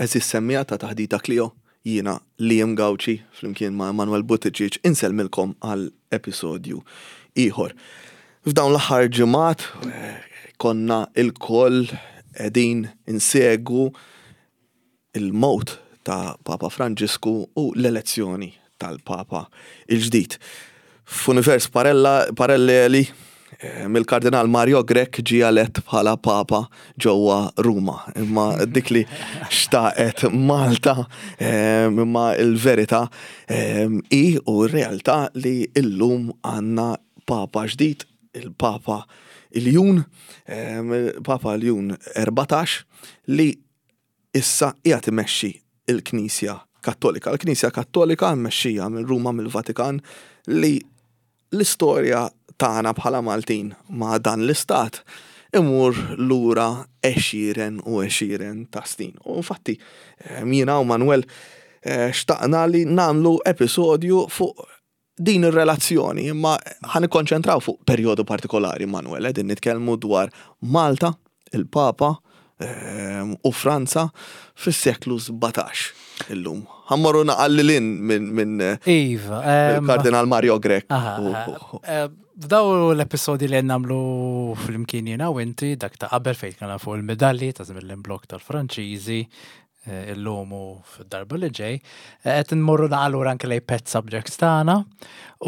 Għeżież semmiegħa ta' Taħdita Clio, jiena Liam Gauci flimkien ma' Emanuel Buttigieg insellmilkom għal episodju ieħor. F'dawn l-aħħar ġimgħat konna lkoll qegħdin insegwu il-mewt ta' Papa Franġisku u l-elezzjoni tal-Papa il-ġdid. F'univers paralleli, mill-Kardinal Mario Grech ġie elett bħala Papa ġewwa Ruma. Imma dik li xtaqet Malta, imma l-verità hi u r-realtà li llum għandna Papa ġdid, il-Papa Ljun, Papa Ljun 14, li issa qiegħed imexxi l-Knisja Kattolika. L-Knisja Kattolika mmexxija minn Ruma mill-Vatikan li l-istorja tagħna bħala Maltin ma' dan l-istat imur lura għexieren u għexieren ta' snin. U infatti jiena u Manuel eh, xtaqna li nagħmlu episodju fuq din ir-relazzjoni, imma ħa nikkonċentraw fuq perjodu partikolari, Manuel, qegħdin nitkellmu dwar Malta, il-Papa ehm, u Franza fis-seklu 17 illum. Ħa mmorru naqra lil hinn minn Iva, ehm, kardinal Mario Grech. Eh, f'daw l-episodi li nagħmlu flimkien jiena u inti dak ta' qabel fejn kien fuq il-medalli ta' żmien l-imblok tal-Franċiżi, Eh, illum u fid-darba li ġej, eh, qed nmorru naqra lura anke lejn pet subjects tagħna.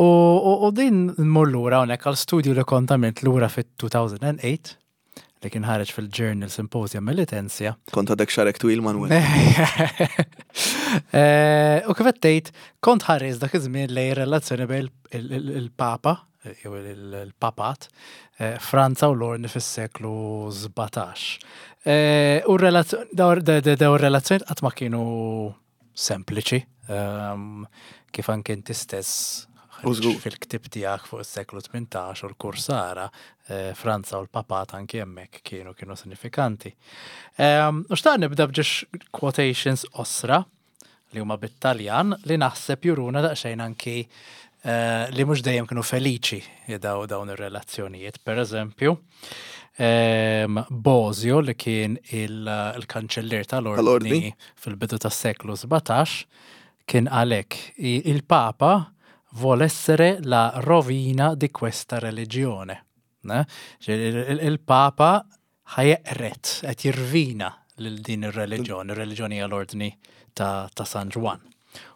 U din nmur lura hawnhekk għal studju li kont għamilt lura fit-2008 li kien ħareġ fil-Journal Symposium Melitensia. Kont għadek xagħrek twil Manuel. Eh, u kif qed tgħid, kont ħares dak iż-żmien lejn relazzjoni bejn il-Papa jew il-papat, eh, Franza u l-Ordni fis-seklu 17. Eh, u daw relazzjoni qatt ma kienu sempliċi, ehm, kif anke inti stess fil-ktib tiegħek fuq is-seklu 18 u l-kursara, eh, Franza u l-papat anki hemmhekk kienu kienu sinifikanti. Ehm, u xtaq nibda b'ġiex quotations osra li huma bit-Taljan li naħseb juruna daqsxejn anki eh, li mhux dejjem kienu feliċi daw dawn ir-relazzjonijiet. Per eżempju, ehm, Bosio li kien il-kanċellier tal-ordni fil-bidu tas-seklu 17 kien għalhekk il-Papa vuol essere la rovina di questa religione. Il-Papa ħa jeqred, qed jirvina lil din ir-reliġjon, ir-reliġjon hija l-ordni ta' San Ġwann.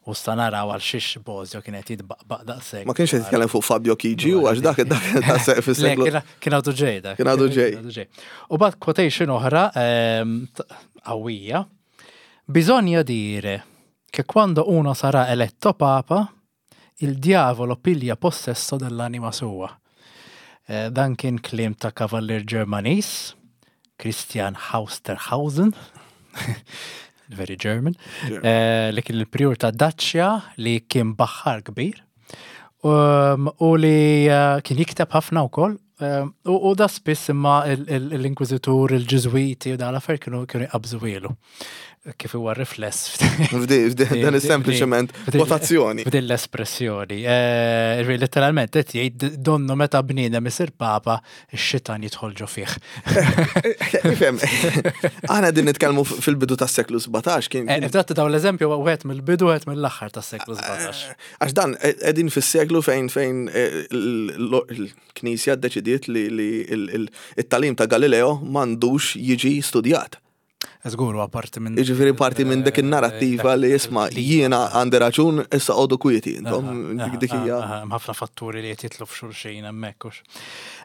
U sta naraw għal xiex Bosio kien qed jitbaqbaq daqshekk. Ma kienx qed jitkellem fuq Fabio Chigi u għax dak dak ta' fis-seklu. Kien għadu ġej dak. Kien għadu ġej. U bad quotation oħra ehm, qawwija. Bisogna dire che quando uno sarà eletto papa, Il diavolo piglia possesso dell'anima sua. Eh, dan kien kliem ta' kavallier Ġermaniż, Christian Hausterhausen, very German, eh, li kien il-prijur ta' Dacia li kien baħħar kbir um, u li eh, kien jikteb ħafna wkoll Ehm, u da spiss imma l-inkwizitur, il-ġiżwiti u dan l-affarijiet kienu kienu jqabżu ilu. Kif huwa rifless. Dan is-sempliċement votazzjoni. F'din l-espressjoni. Eh, letteralment qed jgħid donnu meta bniedem isir papa, ix-xitan jidħol ġo fih. Ifhem, aħna din nitkellmu fil-bidu tas-seklu 17 kien. Eh, Fdatt daw l-eżempju wieħed mill-bidu wieħed mill-aħħar tas-seklu 17. Eh, għax dan qegħdin fis-seklu fejn fejn Il-Knisja ddeċidiet li t-tagħlim ta' Galileo m'għandux jiġi studjat. Żgur, huwa parti minn. Jiġifieri parti minn dik in-narrattiva li isma' jiena għandi raġun issa qogħdu kwieti intom dik hija. Hemm ħafna fatturi li qed jidħlu f'xulxin hemmhekk hux.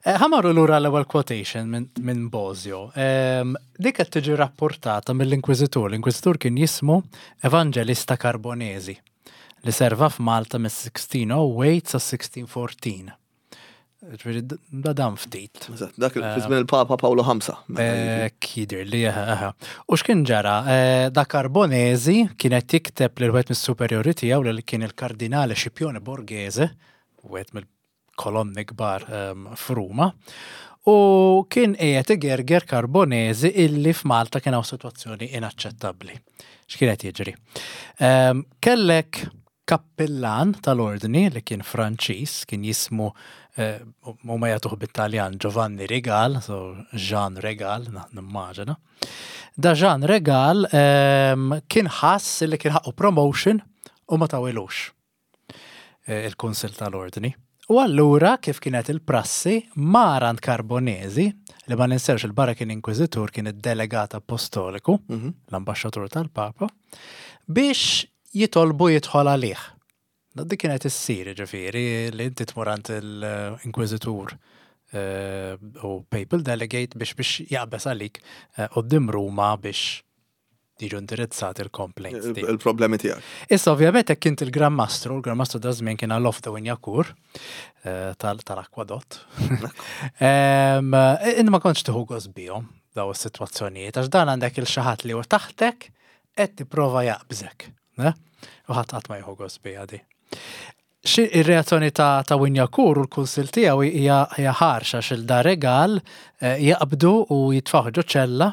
Eh, ħa marru lura l-ewwel quotation minn Bosio. Ehm, dik qed tiġi rapportata mill-Inkwiżitur. L-Inkwiżitur kien jismu Evangelista Carbonesi. li serva f'Malta mis-1608 sa 1614. Ġifieri da dan ftit. Eżatt, dak fi żmien il-Papa Paolo V. Kidir li eħe. U x'kien ġara? Eh, da Carbonesi kien qed jikteb lil wieħed mis-superjori tiegħu li kien il-Kardinale Scipione Borghese, wieħed mill kolonni kbar ehm, f'Ruma, u kien qiegħed igerger Carbonesi illi f'Malta kien hawn sitwazzjoni inaċċettabbli. X'kien qed jiġri? Ehm, kellek Kappillan tal-Ordni li kien Franċiż, kien jismu, huma jagħtuh bit-Taljan Giovanni Rigal, so Jean Regal, nimmaġina. Da Jean Regal kien ħass li kien ħaqqu promotion u ma tawilux il-Kunsill tal-Ordni. U allura, kif kienet il-prassi, mar għand Carbonesi, li ma ninsewx il-barra kien inkwiżitur, kien id-delegat apostoliku, l-ambaxxatur tal-Papa, biex jitolbu jidħol għalih. Dik kienet issir, ġifieri, li inti tmur għand l-inkwiżitur u papal delegate biex biex jaqbeż għalik quddiem Ruma biex jiġu indirizzati l-complaints. Il-problemi tiegħek. Issa ovvjament hekk int il-Gran Mastru, il-Gran Mastru da żmien kien għal de Wignacourt tal-akwadott. Inti ma kontx tieħu gost bihom daw is-sitwazzjonijiet għax dan għandek il xi ħadd li hu taħtek qed tipprova jaqbżek. U ħadd qatt ma jieħu gost biha di. Xi ir-reazzjoni ta' ta' Wignacourt u l-kunsill tiegħu hija hija ħarxa xil da regal jaqbdu u jitfgħuh ġo ċella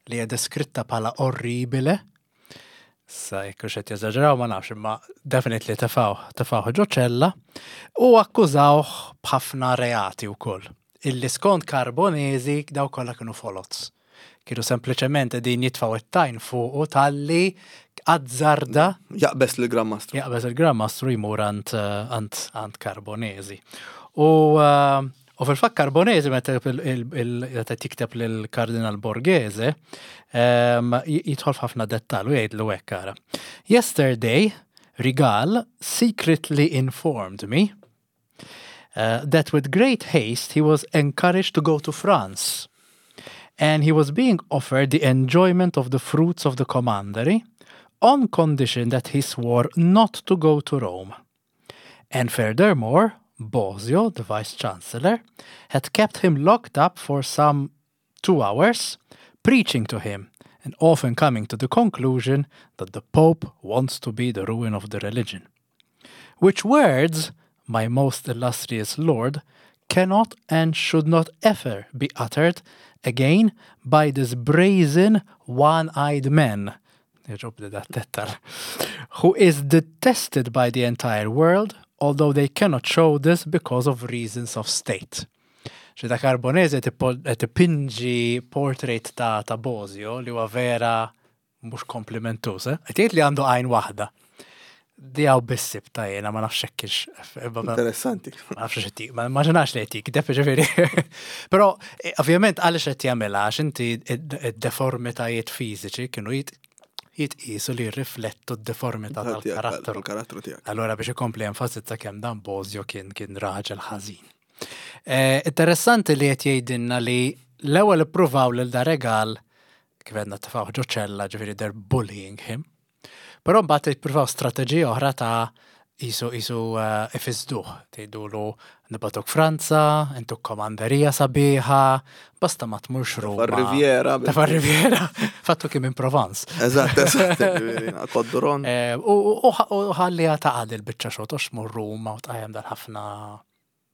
li hija deskritta bħala orribile. Sa jekk hux qed jeżaġeraw ma nafx imma definitely tefgħuh tefgħuh ġo ċella u akkużawh b'ħafna reati wkoll. Illi skont Carbonesi daw kollha kienu foloz. Kienu sempliċement qegħdin jitfgħu it-tajn fuqu talli azzarda. Jaqbeż lill-Gran Mastru. Jaqbeż il-Gran Mastru jmur għand għand għand Carbonesi. U u fil-fatt Carbonesi meta meta jikteb lill-Kardinal Borghese jidħol f'ħafna dettall u jgħidlu hekk ara. Yesterday, Rigal secretly informed me that with great haste he was encouraged to go to France and he was being offered the enjoyment of the fruits of the commandery on condition that he swore not to go to Rome. And furthermore, Bosio, the vice-chancellor, had kept him locked up for some 2 hours, preaching to him and often coming to the conclusion that the Pope wants to be the ruin of the religion. Which words, my most illustrious lord, cannot and should not ever be uttered again by this brazen, one-eyed man, who is detested by the entire world, although they cannot show this because of reasons of state. Xi ta' Carbonese qed ipinġi portrait ta' ta' Bosio li huwa vera mhux komplimentuż, eh? Qed jgħid li għandu għajn waħda. Di hawn biss sibta jiena ma nafx hekk ix. Interessanti. Ma nafx x'qed ma immaġinax li qed jikdeb ġifieri. Però ovvjament għaliex qed jagħmilha għax inti id-deformitajiet fiżiċi kienu jitqisu li jirriflettu d-deformità tal-karattru. Tal-karattru tiegħek. Allura biex ikompli enfasizza kemm dan Bosio kien kien raġel ħażin. Interessanti li qed jgħidilna li l-ewwel ippruvaw lil da Regal kif għedna tefgħuh ġo ċella ġifieri they're bullying him. Però mbagħad jippruvaw strateġija oħra ta' qisu qisu ifisduh, tgħidulu nibgħatuk Franza, intuk komanderija sabiħa, basta ma tmurx Ruma. Tefa' Riviera. Tefa' Riviera. Fattu kien minn Provence. Eżatt, eżatt, Côte-d'Oron. U ħalliha taqa' dil-biċċa xogħol, toqgħodx tmur Ruma u tqajjem dal-ħafna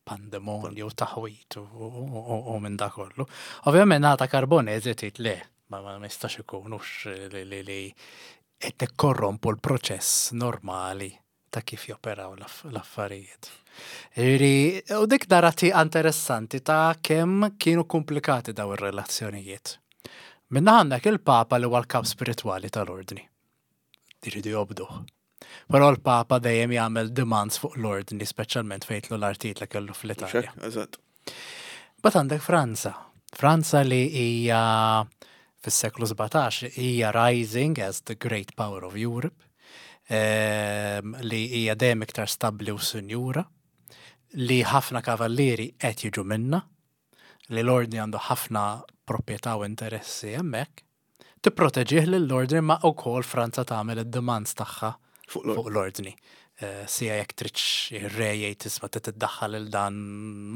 pandemonju, taħwit u minn da kollu. Ovvjament nata Carbonese tgħid le, ma jistax ikun hux li qed tikkorrompu l-proċess normali ta' kif joperaw l-affarijiet. Ġifieri, u dik nara tieqa interessanti ta' kemm kienu komplikati daw ir-relazzjonijiet. Minna għandek il-Papa li huwa l-kap spiritwali tal-ordni. Iridu jobduh. Però l-Papa dejjem jagħmel demands fuq l-ordni, speċjalment fejn jidħlu l-artijiet li kellu fl-Italja. Eżatt. But għandek Franza. Franza li hija fis-seklu 17 hija rising as the great power of Europe, li hija dejjem iktar stabbli u sinjura, li ħafna kavallieri qed jiġu minnha, li l-ordni għandu ħafna proprjetà u interessi hemmhekk. Tipproteġih lill-ordni ma wkoll Franza tagħmel id-demands tagħha fuq l-ordni. Sija jekk tridx ir-re jgħid isma' trid tiddaħħal lil dan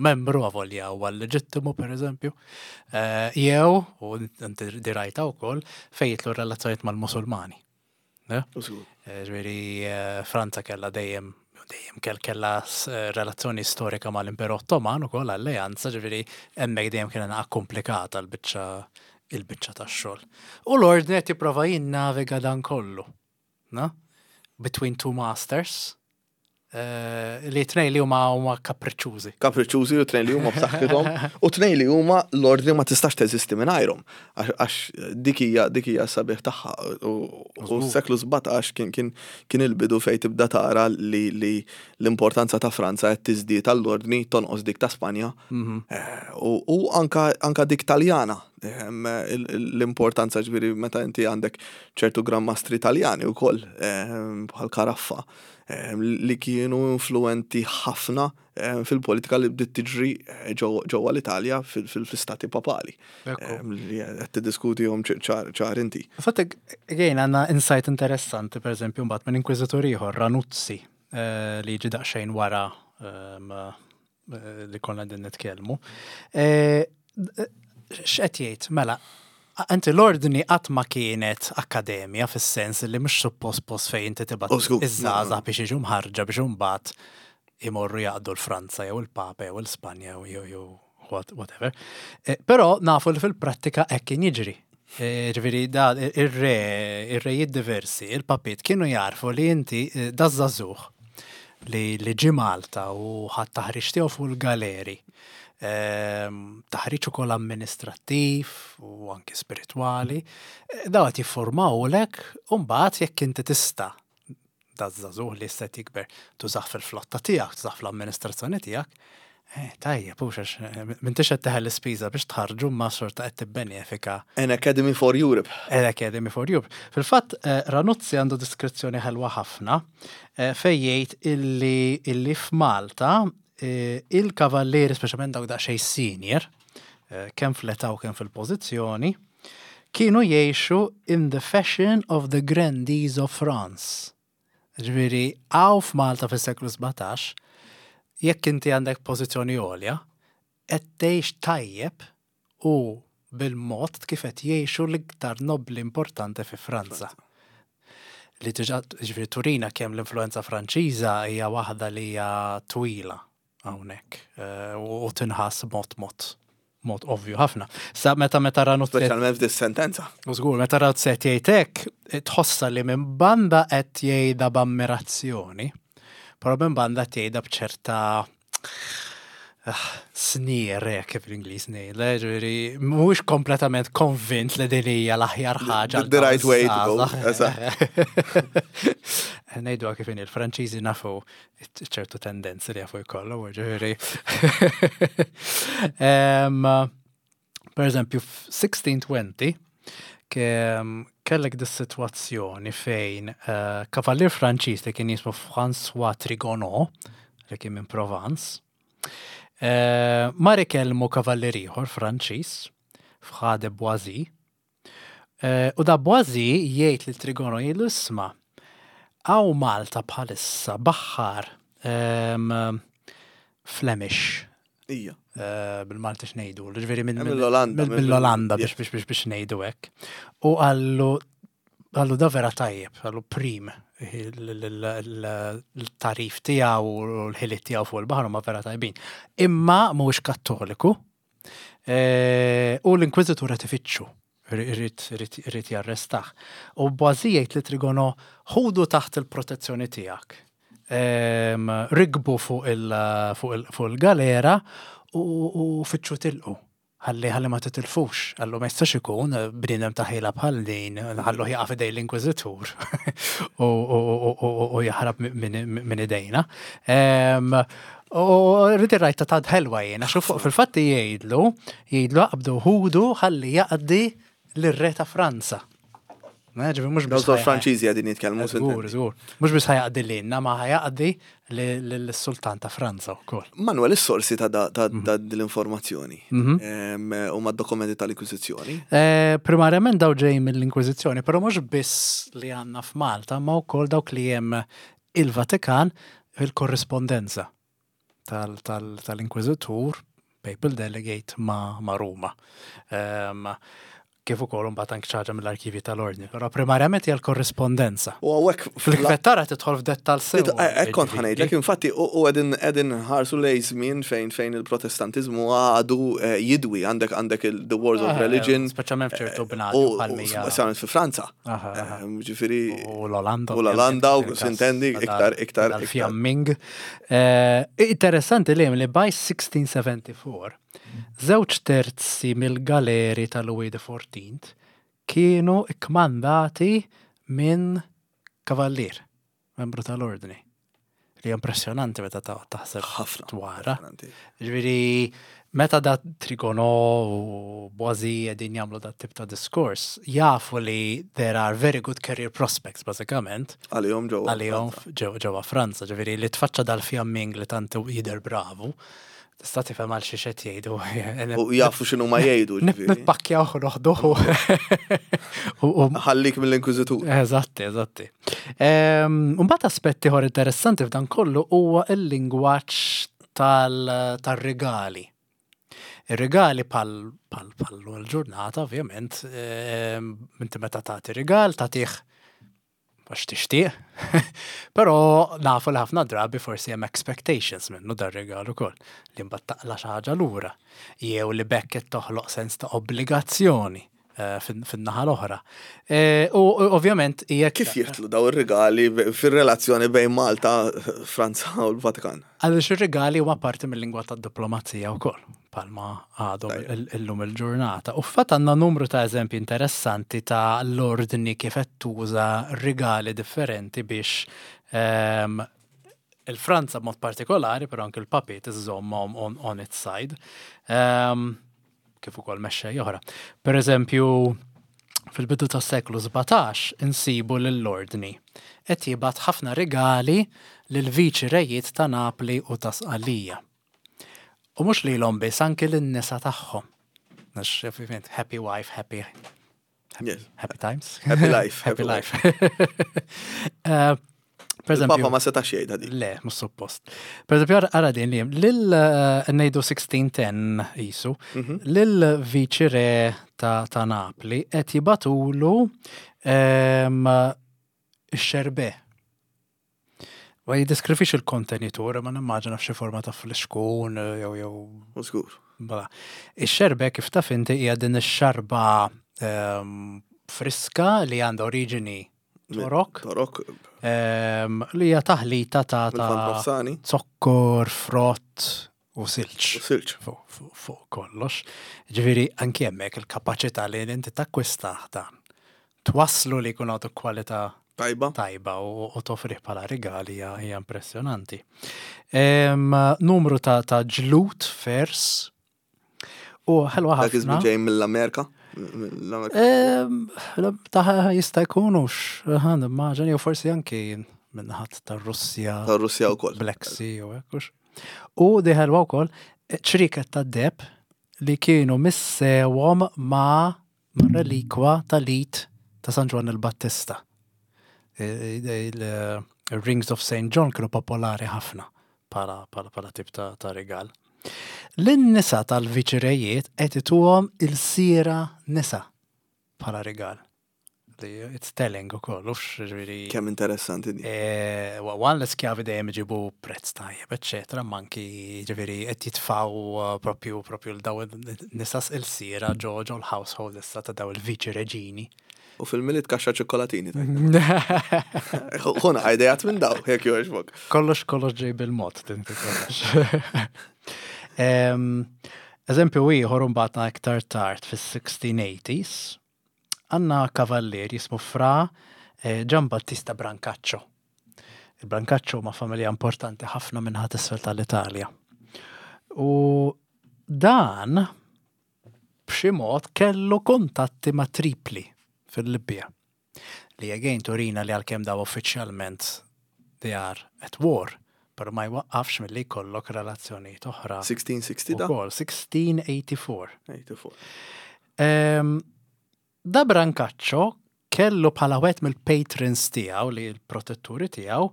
membru avolja huwa leġittimu pereżempju. Jew, u inti dirajta wkoll, fejn jidħlu r-relazzjonijiet mal-Musulmani. Ġifieri Franza kellha dejjem dejjem kell kellha relazzjoni storika mal-Imperu Ottoman ukoll alleanza, ġifieri hemmhekk dejjem kien naqa' komplikata l-biċċa il-biċċa tax-xogħol. U l-ordni qed jipprova jinnaviga dan kollu. Na? Between Two Masters, eh, li tnej li huma huma kapriċċużi. Kapriċċużi u tnej li huma b'saħħithom u tnej li huma l-ordni ma tistax teżisti mingħajrhom. Għax dik hija dik hija sabiħ tagħha u s-seklu 17 kien kien kien il-bidu fejn tibda tara li l-importanza ta' Franza qed tiżdied għall-ordni tonqos dik ta' Spanja mhm. eh, u anka anka dik Taljana ehm, l-importanza ġifieri meta inti għandek ċertu Gran Mastri Taljani wkoll ehm, bħal Karaffa Ehm, li kienu influenti ħafna ehm, fil-politika li bdiet tiġri eh, ġewwa l-Italja fil-istati papali. Ehm, li qed tiddiskutihom ċar inti. Fatt again għandna insight interessanti pereżempju mbagħad minn inkwiżitur ieħor Ranuzzi eh, li jiġi daqsxejn wara eh, li konna din nitkellmu. Eh, x'qed jgħid? Mela, inti l-ordni qatt ma kienet akkademja fis-sens li mhux suppost post fejn inti tibgħat oh, iż-żgħażagħ biex jiġu mħarġa biex imbagħad imorru jaqdu l-Franza jew il-Papa jew l-Spanja jew whatever. Eh, però nafu li fil-prattika hekk kien jiġri. Eh, ġifieri da ir-re, ir-rejiet diversi, il-papiet kienu jarfu li inti eh, da żagħżugħ li li ġie Malta u ħadd taħriġ tiegħu fuq il-galeri. Ehm, taħriġ ukoll amministrattiv u anki spiritwali. Eh, daw qed jiffurmawlek u mbagħad jekk inti tista' da żagħżugħ li issa qed jikber tużah fil-flotta tiegħek, tużah fl-amministrazzjoni tiegħek, eh, tajjeb, hux għax eh, m'intix qed teħel l-ispiża biex tħarġu ma xorta qed tibbenefika. An Academy for Europe. An Academy for Europe. Fil-fatt, eh, Ranuzzi għandu diskrizzjoni ħelwa ħafna fejn jgħid illi illi f'Malta il-kavallieri, speċjalment dawk daqsxejn senior, kemm fl-età u kemm fil-pożizzjoni, kienu jgħixu in the fashion of the grandees of France. Ġifieri, hawn f'Malta fis-seklu 17, jekk inti għandek pożizzjoni għolja, qed tgħix tajjeb u bil-mod kif qed jgħixu l-iktar nobbli importanti fi Franza. Li diġà ġifieri turina kemm l-influenza Franċiża hija waħda li hija twila hawnhekk eh, u tinħass mod mod mod ovvju ħafna. Sa meta meta ranu Speċjalment f'dis sentenza. U żgur, meta ranu set jgħid hekk, tħossa li minn banda qed jgħidha b'ammirazzjoni, però minn banda qed jgħidha b'ċerta ah, sneer hekk kif l-Ingliż ngħid, ġifieri mhuwiex kompletament konvint li din hija l-aħjar ħaġa. The right way to go. Ngħidu kif inhi l-Franċiżi nafu ċertu tendenzi li jafu jkollu, ġifieri. Per eżempju, f-1620 kellek dis-sitwazzjoni fejn eh, kavallier Franċiż li kien jismu François Trigonot, li kien minn Provence, eh, mar ikellmu kavallier ieħor Franċiż, Fra de Boisy, Eh, u da Boisy jgħid lil Trigono jgħidlu isma' hawn Malta bħalissa baħħar ehm, Flemish. Ija. Eh, bil-Malti x'ngħidu, ġifieri minn eh, mill-Olanda. Mill-Olanda biex biex biex biex ngħidu hekk. U għallu għallu da vera tajjeb, għallu prim il-tarif tiegħu u l-ħiliet tiegħu fuq il-baħar huma vera tajbin. Imma mhuwiex Kattoliku, Eh, u l-inkwiżitur qed ifittxu, irid jarrestah. U Boisy jgħid li Trigono ħudu taħt il-protezzjoni tiegħek. Ehm, rigbu fuq il-galera u fittxu tilqu. Ħalli ħalli ma titilfux, għallu ma jistax ikun eh, bniedem ta' ħila bħal din, ħallu jaqa' fidej l-inkwiżitur u jaħrab minn idejna. Ehm, U rrid ir-rajta ta' ħelwa jien, għax fuq fil-fatt jgħidlu, jgħidlu aqbdu ħudu ħalli jaqdi lir-re ta' Franza. Ġifieri mhux biss. Dawk Franċiżi qegħdin jitkellmu. Żgur, żgur. Mhux biss ħajaqdi lilna, ma ħajaqdi lis-Sultan ta' Franza wkoll. Manuel, is-sorsi ta' mhm. l-informazzjoni mhm. huma d-dokumenti tal-Inkwiżizzjoni? Eh, primarjament daw ġej mill-Inkwiżizzjoni, però mhux biss li għandna f'Malta, ma wkoll dawk li hemm il-Vatikan il-korrispondenza tal-Inkwiżitur, Papal Delegate, ma' Ruma. Kif ukoll imbagħad anke xi ħaġa mill-arkivji tal-Ordni, però primarjament hija l-korrispondenza. U hawnhekk fil-kvettara tidħol f'dettall sew. Hekk kont ħanejdlek, infatti u qegħdin qegħdin nħarsu lejn żmien fejn fejn il-Protestantiżmu għadu eh, jidwi għandek għandek the wars of eh, religion. Speċjalment f'ċertu eh, bnadi bħalmija. Speċjalment fi Franza. Ġifieri. U l-Olanda. U l-Olanda u sintendi iktar iktar. Fjamming. Interessanti li li by 1674 Żewġ terzi mill-galeri ta' Louis the Fourteenth kienu kkmandati minn kavallier, membru tal-Ordni. Li hija impressjonanti meta taħseb Ħafna. dwarha. Ġifieri meta da Trigono u Boisi qegħdin jagħmlu dat tip ta' diskors, jafu li there are very good career prospects bażikament. Għalihom ġewwa. Għalihom ġewwa Franza, ġifieri li tfaċċa dal-fjamming li tant jidher bravu. Tista' tifhem għal xiex qed jgħidu. U jafu x'inhu ma jgħidu. Nippakkjaw u noħduh. Ħallik mill-inkwiżitur. Eżatti, eżatti. Mbagħad aspett ieħor interessanti f'dan kollu huwa l-lingwaġġ tal-rigali. Ir-rigali pal l-ġurnata, ovvjament, inti meta tagħti rigal tagħtih għax tixtieq, però nafu li ħafna drabi forsi hemm expectations minnu dar-rigal ukoll, li mbagħad taqla' xi ħaġa lura, jew li b'hekk qed toħloq sens ta' obbligazzjoni eh, fin-naħa l-oħra. Eh, u ovvjament jekk. Kif jidħlu daw ir-rigali fir-relazzjoni bejn Malta, Franza u l-Vatikan? Għaliex ir-rigali huma parti mill-lingwa tad-diplomazija wkoll, bħalma għadhom illum il-ġurnata. U fatt għandna numru ta' eżempji interessanti ta' l-ordni kif qed tuża rigali differenti biex ehm, il-Franza b'mod partikolari, però anke l-papiet iżżommhom on, on its side. Ehm, kif ukoll mexxej oħra. Per eżempju, fil-bidu tas-seklu 17 insibu lill-Ordni qed jibgħat ħafna rigali lil viċi rejiet ta' Napli u ta' Sqallija. U mhux lilhom biss, anki lin-nisa tagħhom. Għax happy wife, happy Yes. Happy times. Happy life. Happy life. Eh, per eżempju, Papa ma setax jgħidha din. Le, mhux suppost. Per eżempju, ara din li lil eh, ngħidu 1610 isu, mhm. lil viċi re ta' Napli qed jibatulu ehm, ix-xerbe. Ma jiddeskrivix il-kontenitur, ma nimmaġina f'xi forma ta' flixkun eh, jew jew. Żgur. Bala. Ix-xerbe kif taf inti hija din ix-xarba ehm, friska li għandha oriġini torok. Torok. Ehm, li hija taħlita ta' ta' zokkor, frott u silġ. U silġ. Fuq kollox. Ġifieri anki hemmhekk il-kapaċità li inti takkwista dan. Twasslu li jkun għadu kwalità tajba. Tajba u toffrih bħala rigali hija impressjonanti. Numru ta' ta' ġlut fers u ħelwa ħafna. Dak iż ġej mill-Amerika? Ta' jista' jkun hux, immaġini jew forsi anki minnaħat tar-Russja. Tar-Russja wkoll. Black Sea u hekk hux. U di ħelwa wkoll ċriket tad-deb li kienu missewhom ma' mar-relikwa tal-id ta' San Ġwann il-Battista. Il-Rings of St. John kienu popolari ħafna bħala tip ta' rigal. Lin-nisa tal-viċirejiet qed ituhom il-sira nisa bħala rigal. It's telling ukoll, ux ġifieri. Kemm interessanti di. Eh, one l-iskjavi dejjem iġibu prezz tajjeb, eċċetera, ma anki ġifieri qed jitfgħu eh, propju propju l daw nisas il-sira ġo ġo l-household issa ta' daw il-viċi reġini. U fil-miliet kaxxa ċikkolatini. Ħuna idejat minn daw, jekk jogħġbok. Kollox kollox ġej bil-mod, tinti kollox. Eżempju ieħor mbagħad iktar tard fis-1680s, Għandna kavallier jismu Fra eh, Gian Battista Brancaccio. Il-Brancaccio huma familja importanti ħafna minn ħadd isfel tal-Italja. U dan b'xi mod kellu kuntatti ma' Tripli fil-Libja. Li again turina li għalkemm daw uffiċjalment they are at war, pero ma jwaqqafx milli jkollok relazzjonijiet oħra. 1660 da? Ukoll, 1684. 84. Da Brancaccio kellu bħala wieħed mill-patrons tiegħu li l-protetturi tiegħu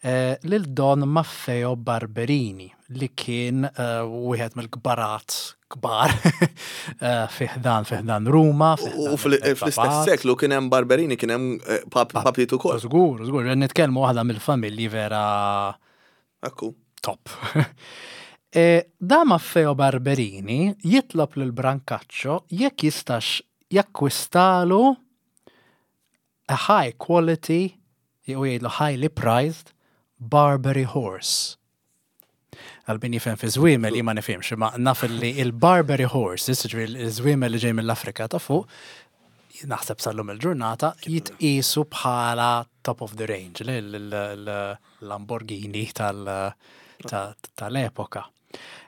eh, lil Don Maffeo Barberini li kien eh, wieħed mill-kbarat kbar eh, fi ħdan fi ħdan Ruma. U fl-istess seklu kien hemm Barberini kien hemm papiet ukoll. Żgur, żgur, nitkellmu waħda mill-familji vera Ekku. Top. E, da Maffeo Barberini jitlob lil Brancaccio jekk jistax jakkwistalu a high quality, jew jgħidlu highly prized, Barbary horse. Għal min jifhem fi żwiemel li ma nifhimx, ma naf li il-Barbary horses, ġifieri il-żwiemel li ġej mill-Afrika ta' fuq, naħseb sal-lum il-ġurnata, jitqisu bħala top of the range, l-Lamborghini tal-epoka.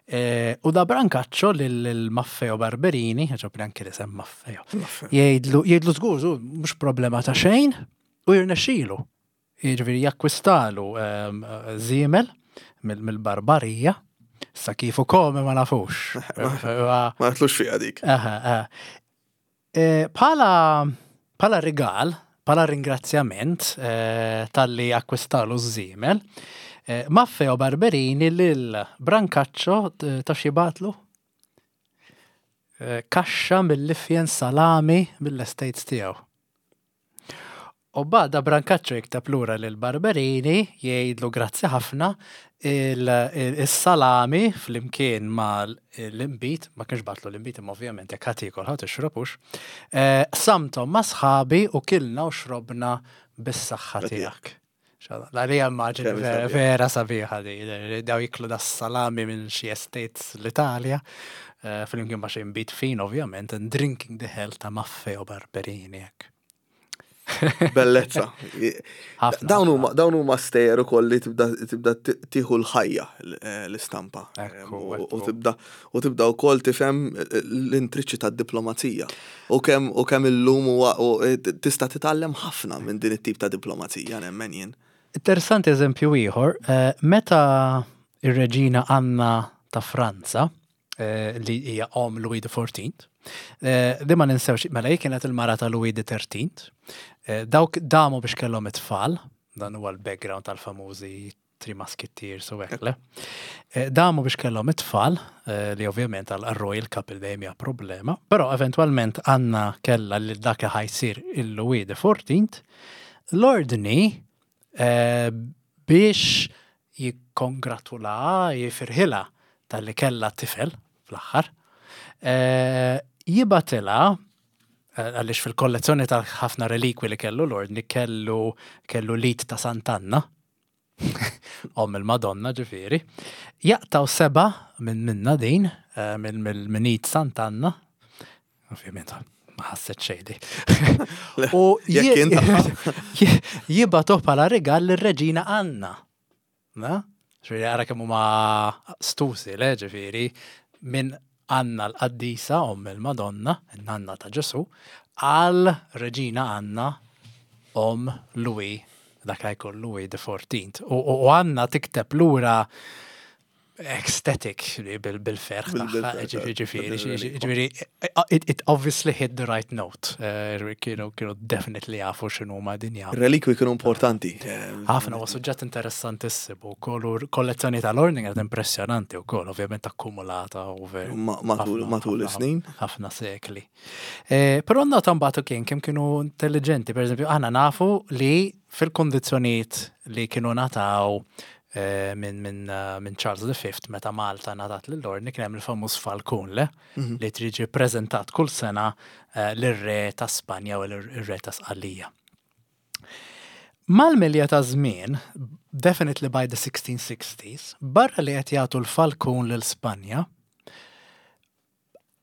E, u da Brancaccio lil-Maffeo Barberini, ġobni anki li sem Maffeo, jgħidlu, jgħidlu żgur, żgur, mhux problema ta' xejn, u jirnexxilu. Jiġifieri jakkwistalu żiemel mill-Barbarija, sa kif ukoll ma nafux. Ma natlux fiha dik. Bħala bħala rigal, bħala ringrazzjament talli akkwistalu ż-żiemel, Maffeo Barberini lil Brancaccio taf x'jibgħatlu? Kaxxa mill-ifjen salami mill-estates tiegħu. U bada Brancaccio jikteb lura lil Barberini jgħidlu grazzi ħafna il-salami flimkien ma l-inbid, ma kienx bagħatlu l-inbid imma ovvjament jekk ħa tiekol ħa tixrob hux, qsamthom ma' sħabi u kilna u xrobna bis-saħħa tiegħek. Għalija immaġini vera sabiħa di, daw jiklu da salami minn xi estates l-Italja, flimkien ma' xi inbid fin ovvjament, and drinking the health ta' Maffeo Barberini hekk. Bellezza. Dawn huma dawn huma stejjer ukoll li tibda tibda tieħu l-ħajja eh, l-istampa. U tibda u tibda wkoll tifhem eh, l-intriċċi tad-diplomazija. U kemm u kemm illum huwa eh, tista' titgħallem ħafna minn din it-tip ta' diplomazija nemmen jien. Interessanti eżempju ieħor, meta ir-reġina Anna ta' Franza Eh, li hija om Louis XIV. Eh, di ma ninsewx, mela hi kienet il-mara ta' Louis XIII. Eh, dawk damu biex kellhom it-tfal, dan huwa l-background tal-famużi Three Musketeers u hekk le. Damu biex kellhom it-tfal, li ovvjament għal royal couple dejjem hija problema, però eventwalment Anna kellha li dak li ħajsir il-Louis XIV, l-ordni biex jikkongratulaha, jifirħilha talli kellha tifel fl-aħħar, jibgħatilha għaliex fil-kollezzjoni ta' ħafna relikwi li kellu l-ordni kellu kellu l-id ta' Sant'Anna, omm il-Madonna ġifieri, jaqtgħu seba' minn minna din, minn id Sant'Anna, Ovvjament, ma ħasset xejn di. U jibgħatuh bħala rigal lir-Reġina Anna. Na? Ġifieri ara kemm huma stusi, le ġifieri minn Anna l-qaddisa omm il-Madonna, in-nanna ta' Ġesu, għal Reġina Anna omm Louis, dak li jkun Louis the 14th. U Anna tikteb lura ecstatic bil-ferħ tagħha, ġifieri, ġifieri, it obviously hit the right note. Eh, kienu kienu definitely jafu x'inhu ma din jafu. Relikwi kienu importanti. Ħafna huwa suġġett interessantissimu wkoll kollezzjoni tal-ordni kienet impressjonanti wkoll, ovvjament akkumulata over matul is-snin. Ħafna sekli. Eh, però nota mbagħad kien kemm kienu intelligenti, pereżempju aħna nafu li fil-kondizzjonijiet li kienu nataw Eh, minn min, eh, min Charles V meta Malta ngħatat lill-ordni kien hemm il-famuż Falcon le mhm. li triġi preżentat kull sena eh, lir-re ta' Spanja u l-re ta' Sqallija. Mal-milja ta' żmien, definitely by the 1660s, barra li qed jagħtu l-Falcon lil Spanja,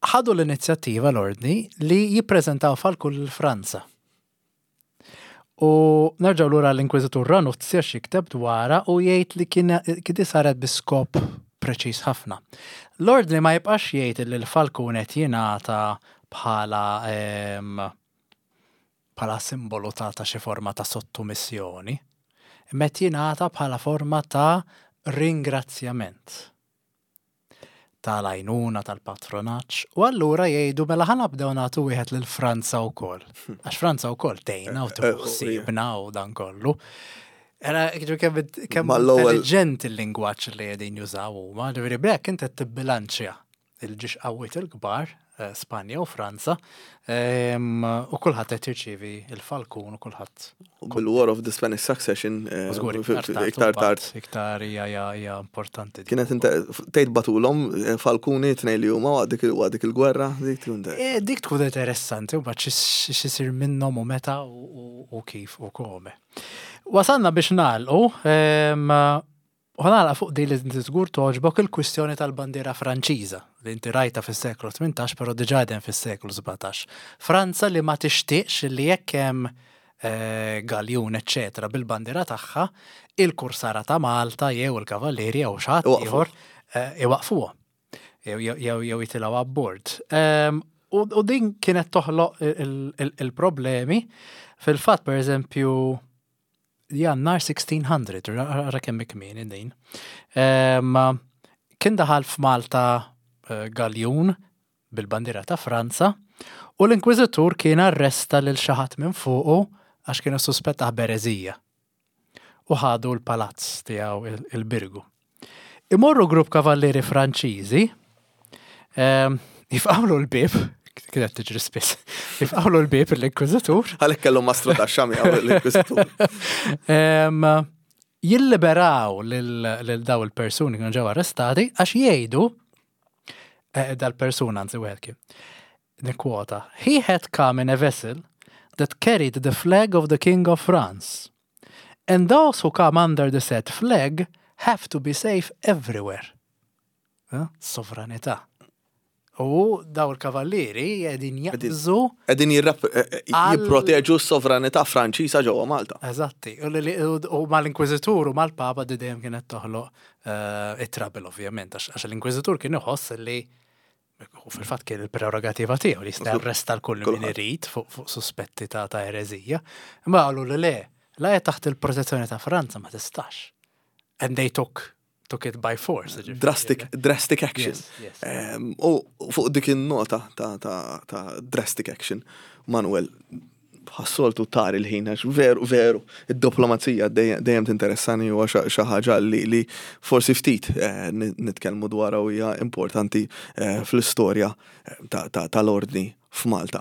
ħadu l-inizjattiva l-ordni li jippreżentaw Falcon lil Franza. U nerġgħu lura l-Inkwiżitur Ranuzzi għax jikteb dwarha u jgħid li kien kien saret bi skop preċiż ħafna. L-ordni ma jibqax jgħid li l-falkun qed jingħata bħala ehm, bħala simbolu ta' ta' xi forma ta' sottomissjoni, imma qed jingħata bħala forma ta' ringrazzjament. tal-għajnuna, tal-patronaġġ, u allura jgħidu mela ħa nabdew nagħtu wieħed lil Franza wkoll. Għax Franza wkoll tgħinna u tieħu ħsiebna u dan kollu. Era kemm kemm intelligent il-lingwaġġ li qegħdin jużaw huma, ġifieri b'hekk inti qed tibbilanċja il-ġiex qawwiet il-kbar, Spanja u Franza, u kulħadd qed jirċievi l-falkun u kulħadd. Bil-War of the Spanish Succession iktar tard. Iktar hija importanti. Kienet tgħid batulhom falkuni tnejn li huma waqt dik il-gwerra, dik tkun. Dik tkun interessanti u mbagħad x'isir minnhom u meta u kif u kome. Wasalna biex nagħlqu. U ħa nagħlaq fuq din li inti żgur togħġbok il-kwistjoni tal-bandiera Franċiża li inti rajtha fis-seklu 18 però diġà qegħdin fis-seklu 17. Franza li ma tixtieqx li jekk hemm galjun eċċetera bil-bandiera tagħha, il-kursara ta' Malta jew il-kavallieri jew xi ħadd ieħor iwaqqfuhom jew jitilgħu abbord. U din kienet toħloq il-problemi. Fil-fatt, pereżempju, Jannar 1600, ara kemm kmieni din. Kien daħal f'Malta eh, galjun bil-bandiera ta' Franza u l-Inkwiżitur kien arresta lil xi ħadd minn fuqu għax kienu suspettah b'ereżija. U ħadu l-palazz tiegħu il-Birgu. Imorru grupp kavallieri Franċiżi, ehm, jifqawlu l-bib, kienet tiġri spiss, jifqawlu l-bib l-Inkwiżitur. Għalhekk kellu mastru ta' xami għaw l-Inkwiżitur. Ehm, jilliberaw lil daw il-persuni kienu ġew arrestati għax jgħidu eh, dal-persuna anzi wieħed kien. Nikkwota, he had come in a vessel that carried the flag of the King of France. And those who come under the said flag have to be safe everywhere. Sovranità. U daw il-kavallieri qegħdin jaqbżu. Qegħdin jipproteġu s-sovranità Franċiża ġewwa Malta. Eżatti. U mal-Inkwiżitur u mal-Papa di dejjem kienet toħloq eh, it-trouble ovvjament, għax l-Inkwiżitur kien iħoss li U fil-fatt kien il-prerogativa tiegħu li jista' jarresta l-kull min irid fuq suspetti ta' ta' ereżija. Imma qalu li le, la hija taħt il-protezzjoni ta' Franza ma tistax. And they took took it by force. Drastic, drastic action. Ehm, u fuq dik il-nota ta', ta, ta drastic action, Manuel, bħas-soltu tar il-ħin għax veru veru id-diplomazija dejjem tinteressani huwa xi ħaġa li forsi ftit eh, nitkellmu dwarha u hija importanti eh, fl-istorja eh, tal-ordni f'Malta.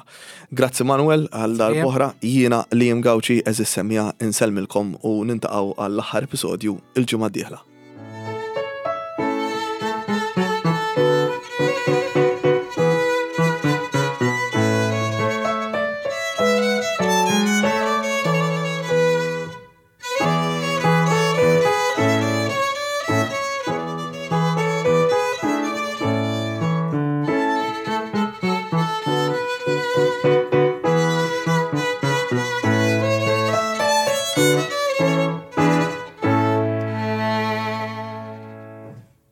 Grazzi Manuel għal darb'oħra jiena Liam Gauci eżis semja insellmilkom u nintaqgħu għall-aħħar episodju il-ġimgħa d-dieħla.